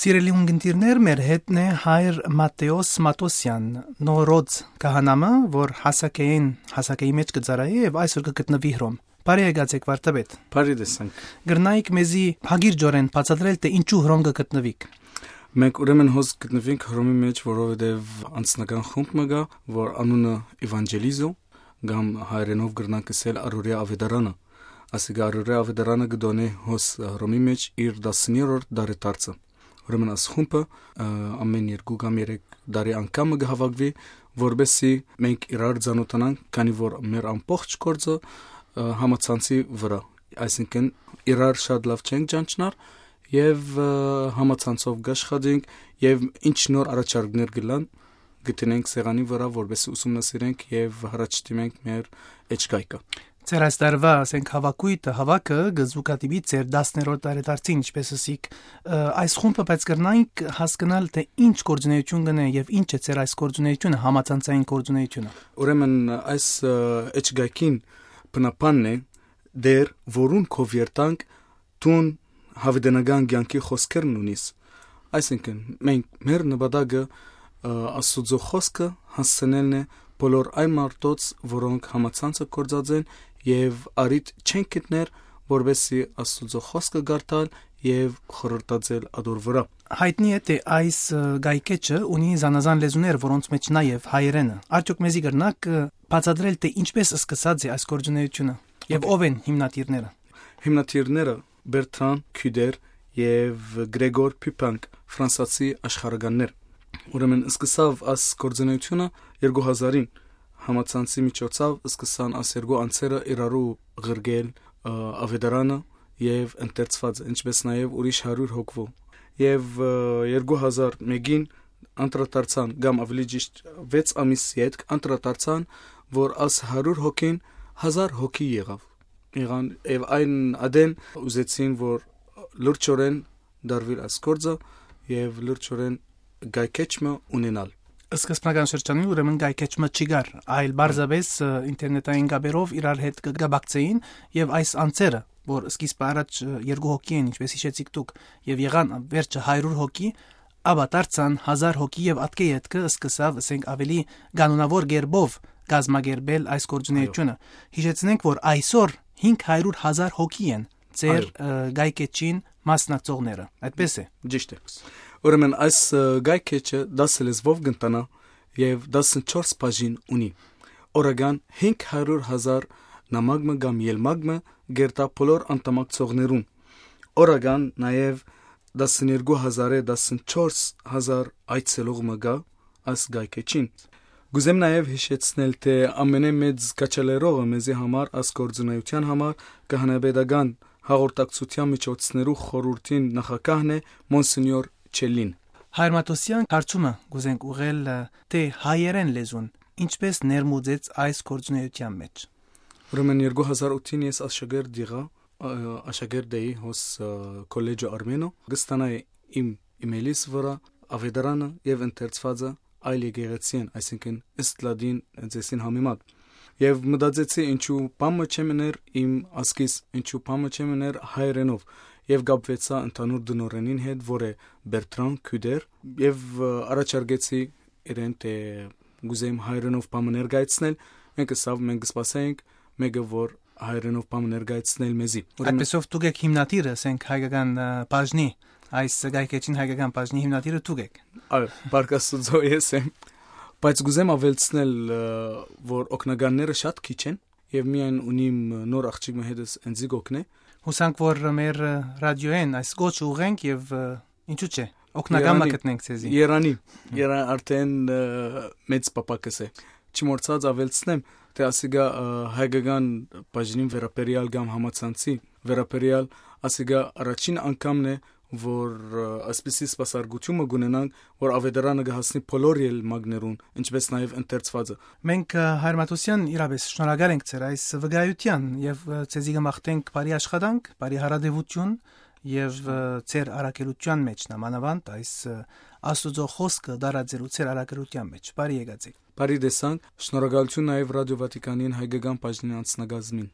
Սիրելի ունգընտիրներ, մեր հետն է հայր Մատեոս Մատոսյան, նորոց կահանամը, որ հասակեի մեջ կծարայի եւ այսօր կգտնվի հրոմ։ Բարի եկացեք վարդապետ։ Բարի տեսանք։ Գրնայիք մեզի հագիրջորեն բացատրել թե ինչու հրոմ կգտնվիք։ Մենք ուրեմն հոս գտնվենք հրոմի մեջ, որովհետեւ անձնական խումբ մը գա, որ անունը Էվանջելիզո, կամ հայերենով գրնանք ասել Արորիա Ավետարանը։ Ասիկա Արորիա Ավետարանը գտոնե հոս հրոմի մեջ իր 10-րդ դարետարցը։ Ուրեմն աս խումբը ամեն 2 կամ 3 տարի անգամ կհավաքվի, որբեսի մենք իրար ծանոթանանք, քանի որ մեր ամբողջ գործը համացանցի վրա, այսինքն իրար շատ լավ չենք ճանչնար եւ համացանցով գաշխատենք եւ ինչ նոր առաջարկներ գլան գտնենք սեղանի վրա, որբեսի ուսումնասիրենք եւ հրաչտիմենք մեր էջգայքը։ Ձեր այս տարվա ասենք հավաքը գզուկատիպի ձեր 10-րդ տարեդարձին, ինչպես ասիք, այս խումբը բայց կրնայինք հասկանալ թե ինչ գործունեություն կնե եւ ինչ է ձեր այս գործունեությունը, համացանցային գործունեությունը։ Ուրեմն այս էջգայքին բնապանն է դեր որուն կովերտանք տուն հավդենական ցանկի խոսքերն ունիս։ Այսինքն մենք մեր նպատակը Աստծո խոսքը հասցնելն է բոլոր այն մարդոց, որոնք համացանցը կործած են եւ արիտ չեն գտներ, որովհետեւ Աստծո խոսքը գարտալ եւ խորհրդածել ադոր վրա։ Հայտնի է թե այս գայքեչը ունի զանազան լեզուներ, որոնց մեջ նաեւ հայերենը։ Արդյոք մեզի կրնակ բացատրել թե ինչպես սկսած է այս գործունեությունը եւ ով են հիմնադիրները։ Հիմնադիրները Բերտրան Քյուդեր եւ Գրեգոր Պյուպանկ, ֆրանսիացի աշխարհականներ։ Ուրեմն սկսավ այս գործունեությունը 2000-ին համացանցի միջոցով սկսան այս երկու անձերը իրարու ղրգել ավետարանը եւ ընթերցված, ինչպես նաեւ ուրիշ 100 հոգվո։ Եվ 2001-ին անդրադարձան կամ ավելի ճիշտ 6 ամիսի հետ անդրադարձան, որ այս 100 հոգին 1000 հոգի եղավ։ Եվ այն ադեն ուզեցին, որ լրջորեն դարվիր այս գործը եւ լրջորեն գայքեչը ունենալ։ Սկզբնական շրջանում ուրեմն գայքեչը չկար, այլ բարձրապես ինտերնետային կապերով իրար հետ կգաբակցեին եւ այս անձերը, որ սկիզբը առաջ 2 հոգի են, ինչպես հիշեցիք դուք, եւ եղան վերջը 100 հոգի, ապա դարձան 1000 հոգի եւ ատկե ետքը սկսավ, ասենք, ավելի կանոնավոր գերբով գազմագերբել այս գործունեությունը։ Հիշեցնենք, որ այսօր 500,000 հոգի են ձեր գայքեչին մասնակցողները։ Այդպես է։ Ճիշտ է։ Ուրեմն այս գայքեչը 10 լեզվով գտնա եւ 14 բաժին ունի։ Օրական 500,000 նամակը կամ ելմակը գերտա բոլոր անդամակցողներուն։ Օրական նաեւ 12,000-14,000 այցելող գա այս գայքեչին։ Գուզեմ նաեւ հիշեցնել, թե ամենամեծ կաչալերողը մեզի համար այս գործունեության համար կահանաբեդական հաղորդակցության միջոցներու խորհրդին նախակահն է Մոնսենյոր Չելին։ Հայր Մատոսյան հարցումը գուզենք ուղղել թե հայերեն լեզուն ինչպես ներմուծեց այս գործունեության մեջ։ Ուրեմն 2008-ին ես աշակերտ էի հոս կոլեջը Արմենո, գստանայի իմ իմեյլիս վրա ավետարանը եւ ընթերցվածը այլ եկեղեցին, այսինքն Իսլադին ձեսին համեմատ։ Եվ մտածեցի ինչու բամը չմներ իմ ասկիս, ինչու բամը չմներ հայերենով, եւ գապվեցա ընդհանուր դնորենին հետ, որ է Բերտրան Քյուդեր, եւ առաջարկեցի իրեն թե գուզեմ հայերենով բամը ներկայացնել, մենք կսպասենք մեկը որ հայերենով բամը ներկայացնել մեզի։ Այդպեսով դուք եք հիմնադիրը, ասենք հայկական բաժնի, այս գայքեչին հայկական բաժնի հիմնադիրը դուք եք։ Այո, բարգասուձո ես եմ, բայց գուզեմ ավելցնել, որ օգնականները շատ քիչ են եւ միայն ունիմ նոր աղջիկը հետս ինձ գոքնե։ Հուսանք որ մեր ռադիոեն այս գոչը ուղենք եւ ինչու՞ չէ օգնական մակտնենք ցեզի։ Երանի արդեն մեծ պապակս է։ Չմորցած ավելցնեմ, թե ասիգա հայկական բաժնին վերապերյալ կամ համացանցի վերապերյալ ասիգա առաջին անգամն է, որ ասպիսի սպասարկությունը գունենանք, որ ավետարանը կհասնի բոլոր ելմակներուն, ինչպես նաև ընթերցվածը։ Մենք Հայր Մատոսյան իրապես շնորհակալ ենք ձեր այս վկայության եւ ցեզի կմաղթենք բարի աշխատանք, բարի հարադեվություն եւ ձեր արակելության մեջ նամանավանդ այս Աստծո խոսքը դարաձելու ձեր արակելության մեջ։ Բարի եկացեք։ Բարի տեսանք, շնորհակալություն նաև Ռադիո Վատիկանին հայկական բաժնի անձնագազմին։